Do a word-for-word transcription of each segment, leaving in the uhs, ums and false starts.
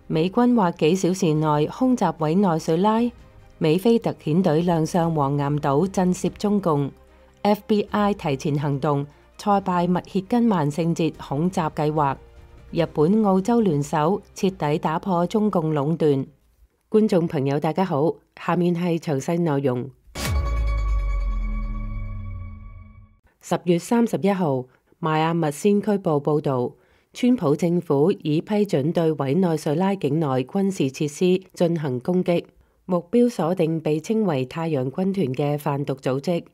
美軍話幾小時內空襲委內瑞拉，美菲特遣隊亮相黃岩島震懾中共。F B I 提前行動，挫敗密歇根萬聖節恐襲計劃。日本、澳洲聯手徹底打破中共壟斷。觀眾朋友大家好，下面係詳細內容。十月三十一號，邁阿密先驅報報導，川普政府已批准對委內瑞拉境內軍事設施進行攻擊，目標鎖定被稱為太陽軍團嘅販毒組織。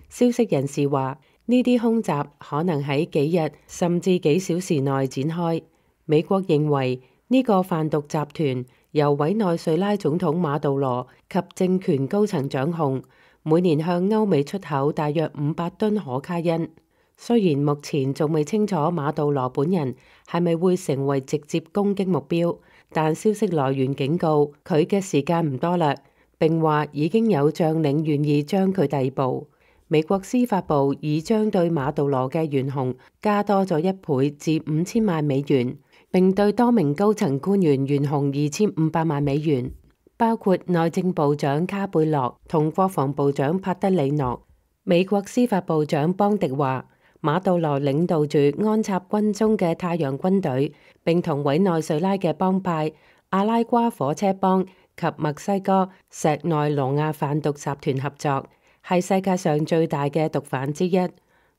消息人士話，呢啲空襲可能喺幾日甚至幾小時內展開。美國認為呢個販毒集團由委內瑞拉總統馬杜羅及政權高層掌控，每年向歐美出口大約五百噸可卡因。雖然目前仲未清楚馬杜羅本人係咪會成為直接攻擊目標，但消息來源警告佢嘅時間唔多啦，並話已經有將領願意將佢逮捕。美國司法部已將對馬杜羅嘅懸紅加多咗一倍至五千萬美元，並對多名高層官員懸紅二千五百萬美元，包括內政部長卡貝洛同國防部長帕德里諾。美國司法部長邦迪話，馬杜羅領導住安插軍中嘅太陽軍隊，並同委內瑞拉嘅幫派阿拉瓜火車幫及墨西哥石內羅亞販毒集團合作，係世界上最大嘅毒販之一，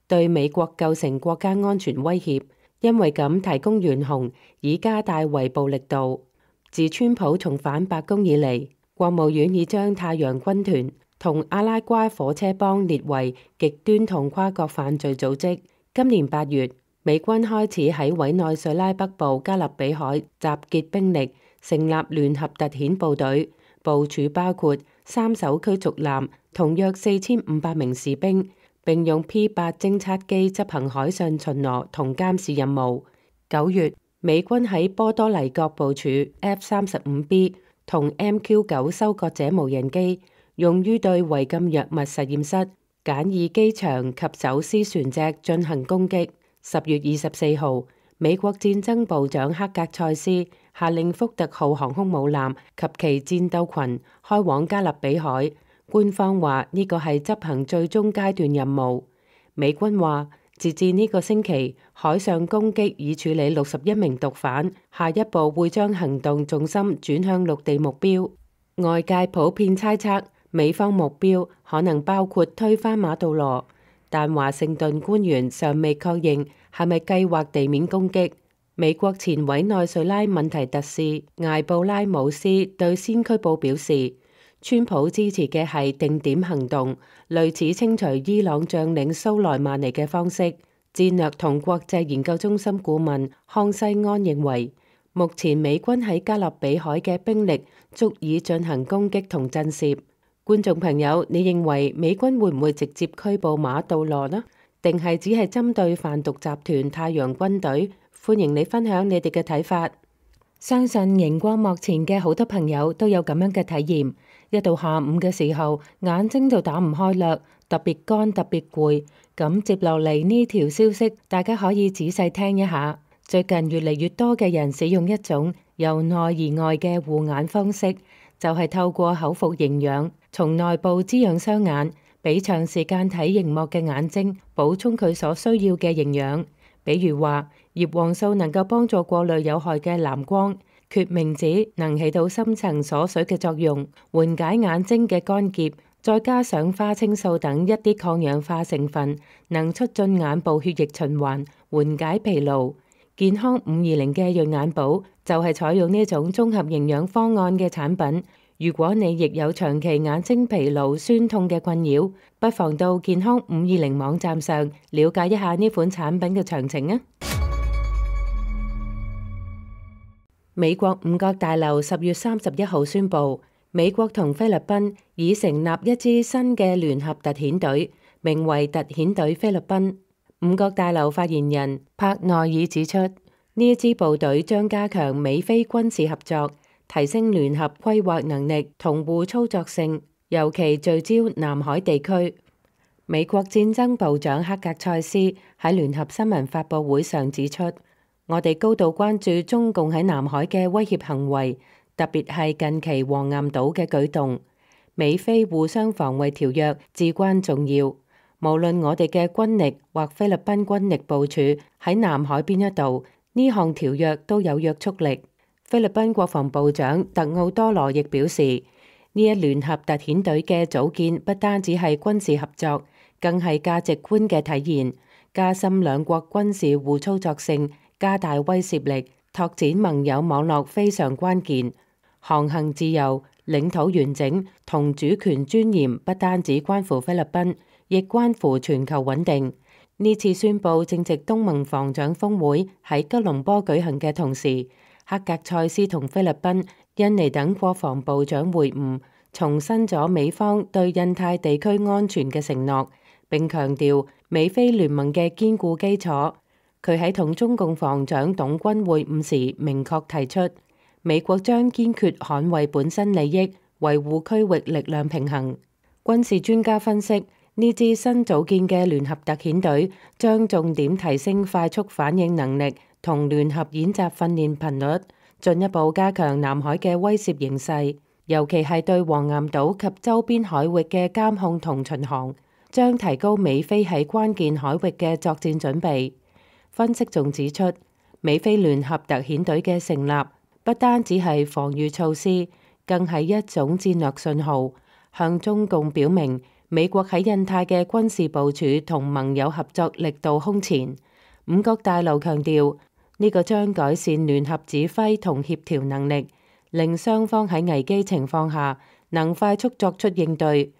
對美國構成國家安全威脅。因為咁提供懸紅，以加大圍捕力度。自川普重返白宮以嚟，國務院已將太陽軍團同阿拉瓜火車幫列為極端同跨國犯罪組織。今年八月，美軍開始喺委內瑞拉北部加勒比海集結兵力，成立聯合特遣部隊，部署包括三艘驅逐艦同約四千五百名士兵，並用 P 八偵察機執行海上巡邏同監視任務。九月，美軍喺波多黎各部署 F 三十五 B 同 M Q 九收割者無人機，用於對違禁藥物實驗室、簡易機場及走私船隻進行攻擊。十月二十四號，美國戰爭部長克格塞斯下令福特號航空母艦及其戰鬥群開往加勒比海。官方話呢個係執行最終階段任務。美軍話，截至呢個星期，海上攻擊已處理六十一名毒販，下一步會將行動重心轉向陸地目標。外界普遍猜測美方目標可能包括推翻馬杜羅，但華盛頓官員尚未確認係咪計劃地面攻擊。美國前委內瑞拉問題特使艾布拉姆斯對先驅報表示，川普支持嘅係定點行動，類似清除伊朗將領蘇萊曼尼嘅方式。戰略同國際研究中心顧問康西安認為，目前美軍喺加勒比海嘅兵力足以進行攻擊同震懾。觀眾朋友，你認為美軍會唔會直接拘捕馬杜羅呢？定係只係針對販毒集團太陽軍隊？歡迎你分享你哋嘅睇法。相信熒光幕前嘅好多朋友都有咁樣嘅體驗。一到下午嘅時候，眼睛就打唔開啦，特別乾，特別攰。咁接落嚟呢條消息，大家可以仔細聽一下。最近越嚟越多嘅人使用一種由內而外嘅護眼方式，就係透過口服營養，從內部滋養雙眼，俾長時間睇熒幕嘅眼睛補充佢所需要嘅營養。比如話，葉黃素能夠幫助過濾有害嘅藍光。決明子能起到深層鎖水嘅作用，緩解眼睛嘅乾澀，再加上花青素等一啲抗氧化成分，能促進眼部血液循環，緩解疲勞。健康五二零嘅潤眼寶就係採用呢種綜合營養方案嘅產品。如果你亦有長期眼睛疲勞、酸痛嘅困擾，不妨到健康五二零網站上了解一下呢款產品嘅詳情啊！美國五角大樓十月三十一號宣布，美國同菲律賓已成立一支新嘅聯合特遣隊，名為特遣隊菲律賓。五角大樓發言人帕內爾指出，呢一支部隊將加強美菲軍事合作，提升聯合規劃能力同互操作性，尤其聚焦南海地區。美國戰爭部長克格塞斯喺聯合新聞發佈會上指出，我哋高度關注中共喺南海嘅威脅行為，特別係近期黃岩島嘅舉動。美菲互相防衛條約至關重要，無論我哋嘅軍力或菲律賓軍力部署喺南海邊一度，呢項條約都有約束力。菲律賓國防部長特奧多羅亦表示，呢一聯合特遣隊嘅組建不單止係軍事合作，更係價值觀嘅體現，加深兩國軍事互操作性，加大威懾力，拓展盟友網絡非常關鍵。航行自由、領土完整同主權尊嚴不單止關乎菲律賓，亦關乎全球穩定。呢次宣佈正值東盟防長峰會喺吉隆坡舉行嘅同時，克格塞斯同菲律賓、印尼等國防部長會晤，重申咗美方對印太地區安全嘅承諾，並強調美菲聯盟嘅堅固基礎。佢喺同中共防長董軍會晤時明確提出，美國將堅決捍衛本身利益，維護區域力量平衡。軍事專家分析，呢支新組建嘅聯合特遣隊將重點提升快速反應能力同聯合演習訓練頻率，進一步加強南海嘅威懾形勢，尤其係對黃岩島及周邊海域嘅監控同巡航，將提高美菲喺關鍵海域嘅作戰準備。分析仲指出，美菲聯合特遣隊嘅成立不單只係防禦措施，更係一種戰略信號，向中共表明美國喺印太嘅軍事部署同盟友合作力度空前。五角大樓強調，呢個將改善聯合指揮同協調能力，令雙方喺危機情況下能快速作出應對。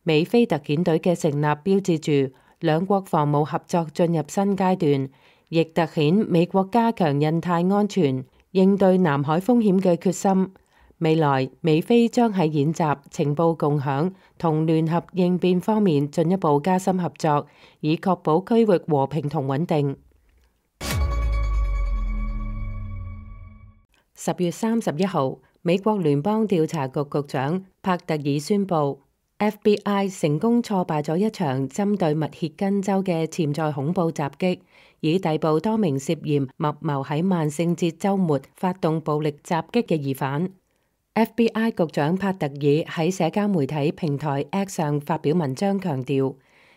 美菲特遣隊嘅成立標誌住兩國防務合作進入新階段，亦凸顯美國加強印太安全、應對南海風險嘅決心。未來美菲將喺演習、情報共享同聯合應變方面進一步加深合作，以確保區域和平同穩定。十月三十一號，美國聯邦調查局局長帕特爾宣布，F B I 成功挫敗咗一場針對密歇根州嘅潛在恐怖襲擊，以逮捕多名涉嫌密謀喺萬聖節週末發動暴力襲擊嘅疑犯。F B I 局長帕特爾喺社交媒體平台 X 上發表文章，強調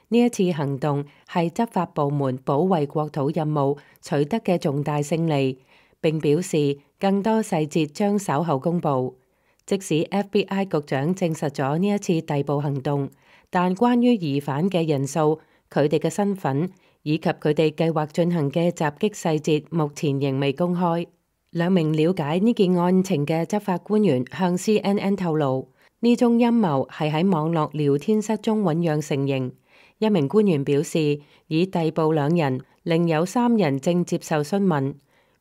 呢一次行動係執法部門保衛國土任務取得嘅重大勝利，並表示更多細節將稍後公佈。即使 F B I 局長證實咗呢一次逮捕行動，但關於疑犯嘅人數、佢哋嘅身份以及佢哋計劃進行嘅襲擊細節，目前仍未公開。兩名了解呢件案情嘅執法官員向 C N N 透露，呢宗陰謀係喺網絡聊天室中醖釀成型。一名官員表示，已逮捕兩人，另有三人正接受詢問。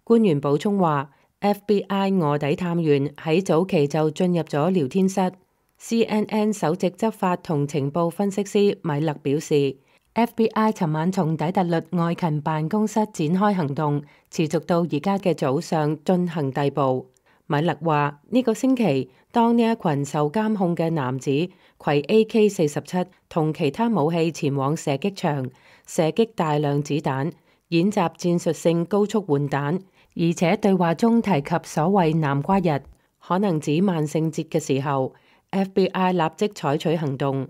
官員補充話，F B I 臥底探員喺早期就進入咗聊天室。C N N 首席執法同情報分析師米勒表示，F B I 尋晚從底特律外勤辦公室展開行動，持續到而家嘅早上進行逮捕。米勒話：呢、這個星期，當呢一群受監控嘅男子攜 A K 四十七同其他武器前往射擊場，射擊大量子彈，演習戰術性高速換彈，而且對話中提及所謂南瓜日，可能指萬聖節嘅時候 ，F B I 立即採取行動。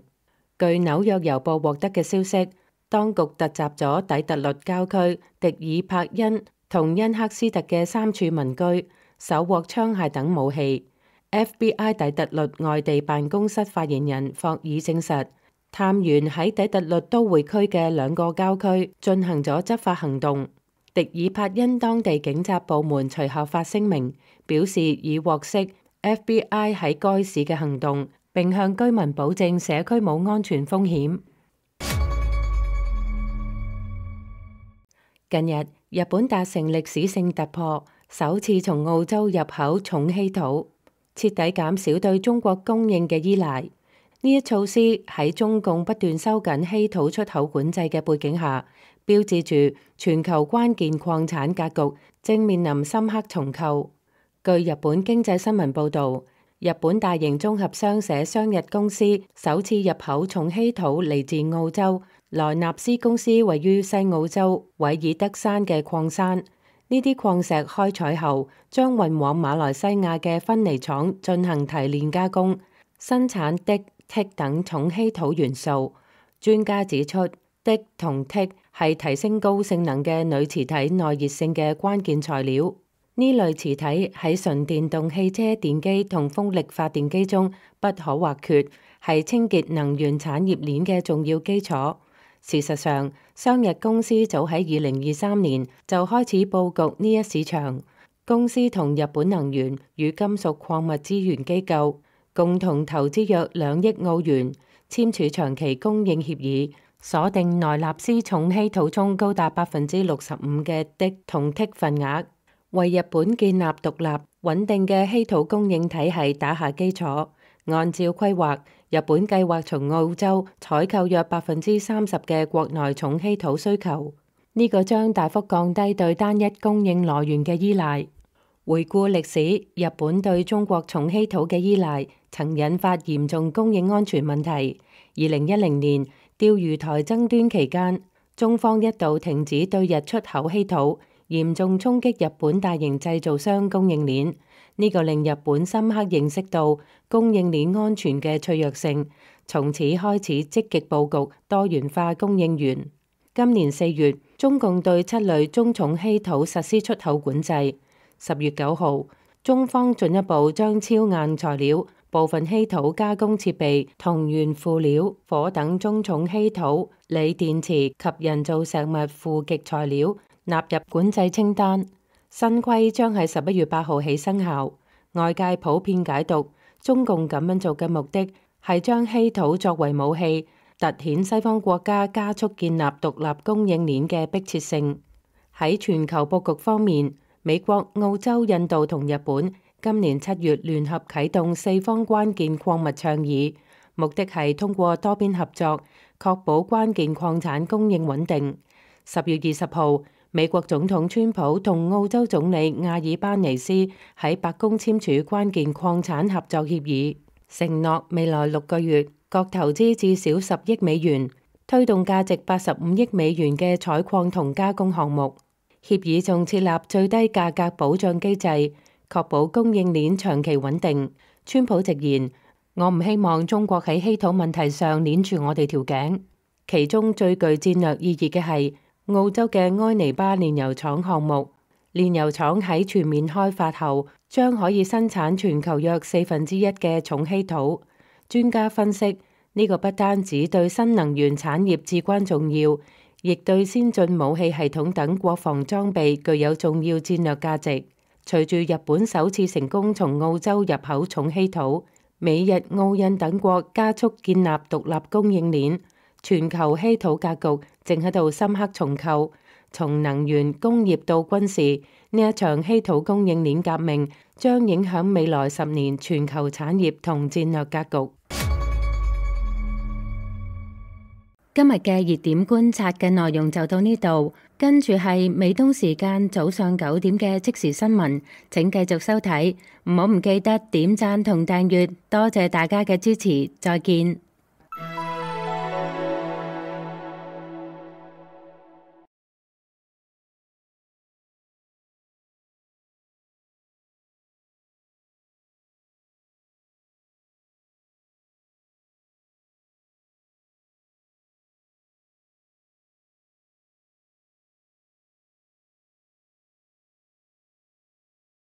據紐約郵報獲得嘅消息，當局突襲咗底特律郊區迪爾柏恩同恩克斯特嘅三處民居，搜獲槍械等武器。F B I 底特律外地辦公室發言人霍爾證實，探員喺底特律都會區嘅兩個郊區進行咗執法行動。迪爾柏恩當地警察部門隨後發聲明，表示已獲悉 F B I 喺該市嘅行動，並向居民保證社區冇安全風險。近日，日本達成歷史性突破，首次從澳洲入口重稀土，徹底減少對中國供應嘅依賴。呢一措施喺中共不斷收緊稀土出口管制嘅背景下，標誌住全球關鍵礦產格局正面臨深刻重構。據日本經濟新聞報導，日本大型綜合商社商日公司首次入口重稀土嚟自澳洲萊納斯公司位於西澳洲韋爾德山嘅礦山。呢啲礦石開採後，將運往馬來西亞嘅芬尼廠進行提煉加工，生產銫、銫等重稀土元素。專家指出，銫同銫係提升高性能嘅鋁磁體耐熱性嘅關鍵材料。呢類磁體喺純電動汽車電機同風力發電機中不可或缺，係清潔能源產業鏈嘅重要基礎。事實上，商日公司早喺二零二三年就開始佈局呢一市場。公司同日本能源與金屬礦物資源機構共同投資約兩億澳元，簽署長期供應協議，鎖定奈納斯重稀土中高達百分之六十五嘅銫同銫份額，為日本建立獨立穩定嘅稀土供應體系打下基礎。按照規劃，日本計劃從澳洲採購約百分之三十嘅國內重稀土需求，呢、這個將大幅降低對單一供應來源嘅依賴。回顧歷史，日本對中國重稀土嘅依賴曾引發嚴重供應安全問題。二零一零年釣魚台爭端期間，中方一度停止對日出口稀土，嚴重衝擊日本大型製造商供應鏈。呢個令日本深刻認識到供應鏈安全嘅脆弱性，從此開始積極佈局多元化供應源。今年四月，中共對七類中重稀土實施出口管制。十月九號，中方進一步將超硬材料、部分稀土加工設備同原輔料、火等中重稀土、鋰電池及人造石物負極材料納入管制清單。新規將喺十一月八號起生效。外界普遍解讀，中共咁樣做嘅目的係將稀土作為武器，凸顯西方國家加速建立獨立供應鏈嘅迫切性。喺全球佈局方面，美國、澳洲、印度同日本今年七月聯合啟動四方關鍵礦物倡議，目的係通過多邊合作，確保關鍵礦產供應穩定。十月二十號，美國總統川普同澳洲總理阿爾巴尼斯喺白宮簽署關鍵礦產合作協議，承諾未來六個月各投資至少十億美元，推動價值八十五億美元嘅採礦同加工項目。協議仲設立最低價格保障機制，確保供應鏈長期穩定。川普直言：我唔希望中國喺稀土問題上鏈住我哋條頸。其中最具戰略意義嘅係澳洲嘅埃尼巴煉油廠項目，煉油廠喺全面開發後，將可以生產全球約四分之一嘅重稀土。專家分析，呢個不單止對新能源產業至關重要，亦對先進武器系統等國防裝備具有重要戰略價值。隨住日本首次成功從澳洲入口重稀土，美日澳印等國加速建立獨立供應鏈。全球稀土格局正喺度深刻重構，從能源、工業到軍事，呢一場稀土供應鏈革命將影響未來十年全球產業同戰略格局。今日嘅熱點觀察嘅內容就到呢度，跟住係美東時間早上九點嘅即時新聞，請繼續收睇，唔好唔記得點讚同訂閱，多謝大家嘅支持，再見。